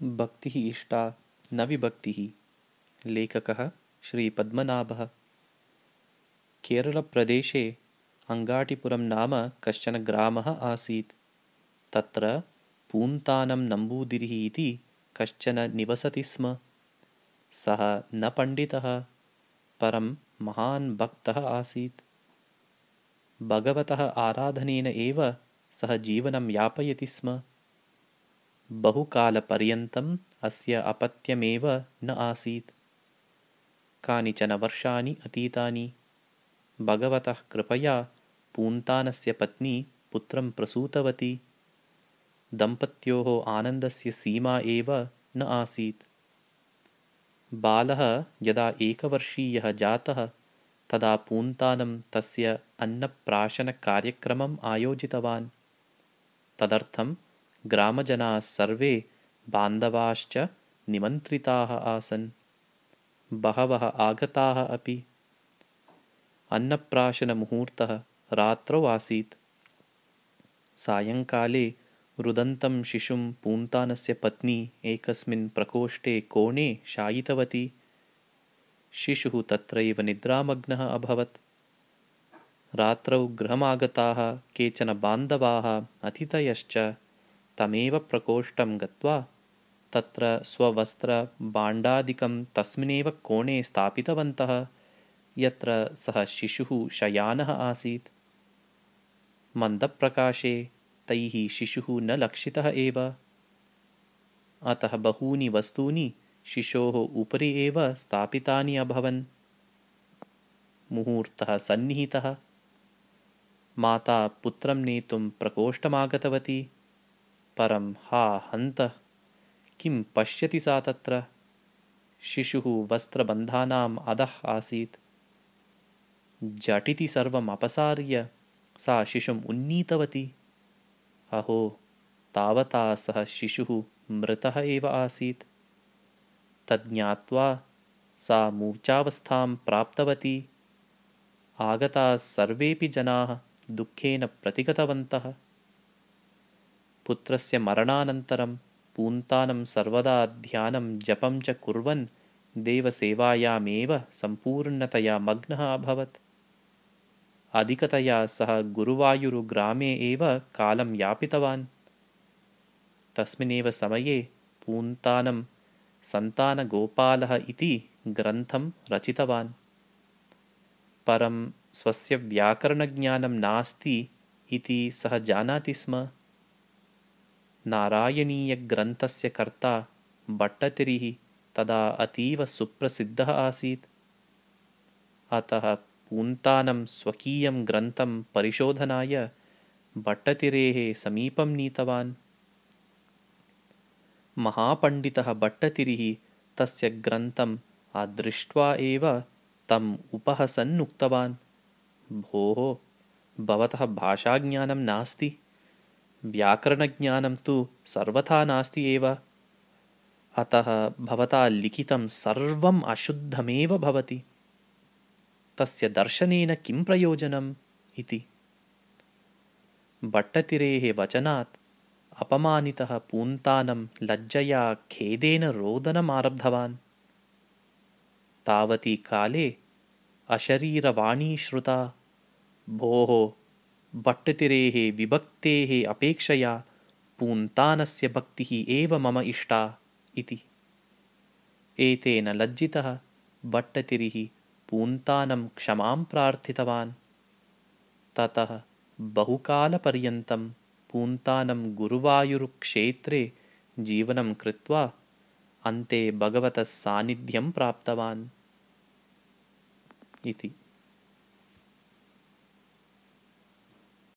भक्तिः इष्टा न विभक्तिः। लेखकः श्रीपद्मनाभः। केरलप्रदेशे अङ्गाटिपुरं नाम कश्चन ग्रामः आसीत्। तत्र पून्तानं नम्बूदिरिः इति कश्चन निवसति स्म। सः न पण्डितः, परं महान् भक्तः आसीत्। भगवतः आराधनेन एव सः जीवनं यापयति स्म। बहुकालपर्यन्तम् अस्य अपत्यमेव न आसीत्। कानिचन वर्षाणि अतीतानि। भगवतः कृपया पून्तानस्य पत्नी पुत्रं प्रसूतवती। दम्पत्योः आनन्दस्य सीमा एव न आसीत्। बालः यदा एकवर्षीयः जातः तदा पून्तानं तस्य अन्नप्राशनकार्यक्रमम् आयोजितवान्। तदर्थं ग्रामजनाः सर्वे बान्धवाश्च निमन्त्रिताः आसन्। बहवः आगताः अपि। अन्नप्राशनमुहूर्तः रात्रौ आसीत्। सायङ्काले रुदन्तं शिशुं पून्तानस्य पत्नी एकस्मिन् प्रकोष्ठे कोणे शायितवती। शिशुः तत्रैव निद्रामग्नः अभवत्। रात्रौ गृहमागताः केचन बान्धवाः अतिथयश्च तमेव प्रकोष्ठं गत्वा तत्र स्ववस्त्रभाण्डादिकं तस्मिन्नेव कोणे स्थापितवन्तः यत्र सः शिशुः शयानः आसीत्। मन्दप्रकाशे तैः शिशुः न लक्षितः एव। अतः बहूनि वस्तूनि शिशोः उपरि एव स्थापितानि अभवन्। मुहूर्तः सन्निहितः। माता पुत्रं नेतुं प्रकोष्ठमागतवती। परं हा हन्तः! किं पश्यति सा तत्र? शिशुः वस्त्रबन्धानाम् अधः आसीत्। झटिति सर्वम् अपसार्य सा शिशुम् उन्नीतवती। अहो, तावता सः शिशुः मृतः एव आसीत्। तज्ज्ञात्वा सा मूर्छावस्थां प्राप्तवती। आगताः सर्वेऽपि जनाः दुःखेन प्रतिगतवन्तः। पुत्रस्य मरणानन्तरं पून्तानं सर्वदा ध्यानं जपं च कुर्वन् देवसेवायामेव सम्पूर्णतया मग्नः अभवत्। अधिकतया सः गुरुवायुरुग्रामे एव कालं यापितवान्। तस्मिन्नेव समये पून्तानं सन्तानगोपालः इति ग्रन्थं रचितवान्। परं स्वस्य व्याकरणज्ञानं नास्ति इति सः जानाति स्म। नारायणीयग्रन्थस्य कर्ता भट्टतिरिः तदा अतीव सुप्रसिद्धः आसीत्। अतः पून्तानं स्वकीयं ग्रन्थं परिशोधनाय भट्टतिरेः समीपं नीतवान्। महापण्डितः भट्टतिरिः तस्य ग्रन्थम् अदृष्ट्वा एव तम् उपहसन् उक्तवान्, भोः, भवतः भाषाज्ञानं नास्ति, व्याकरणज्ञानं तु सर्वथा नास्ति एव। अतः भवता लिखितं सर्वम् अशुद्धमेव भवति। तस्य दर्शनेन किं प्रयोजनम् इति। भट्टतिरेः वचनात् अपमानितः पून्तानं लज्जया खेदेन रोदनमारब्धवान्। तावती काले अशरीरवाणी श्रुता, भोः, भट्टतिरेः विभक्तेः अपेक्षया पून्तानस्य भक्तिः एव मम इष्टा इति। एतेन लज्जितः भट्टतिरिः पून्तानं क्षमां प्रार्थितवान्। ततः बहुकालपर्यन्तं पून्तानं गुरुवायुरुक्षेत्रे जीवनं कृत्वा अन्ते भगवतः सान्निध्यं प्राप्तवान् इति।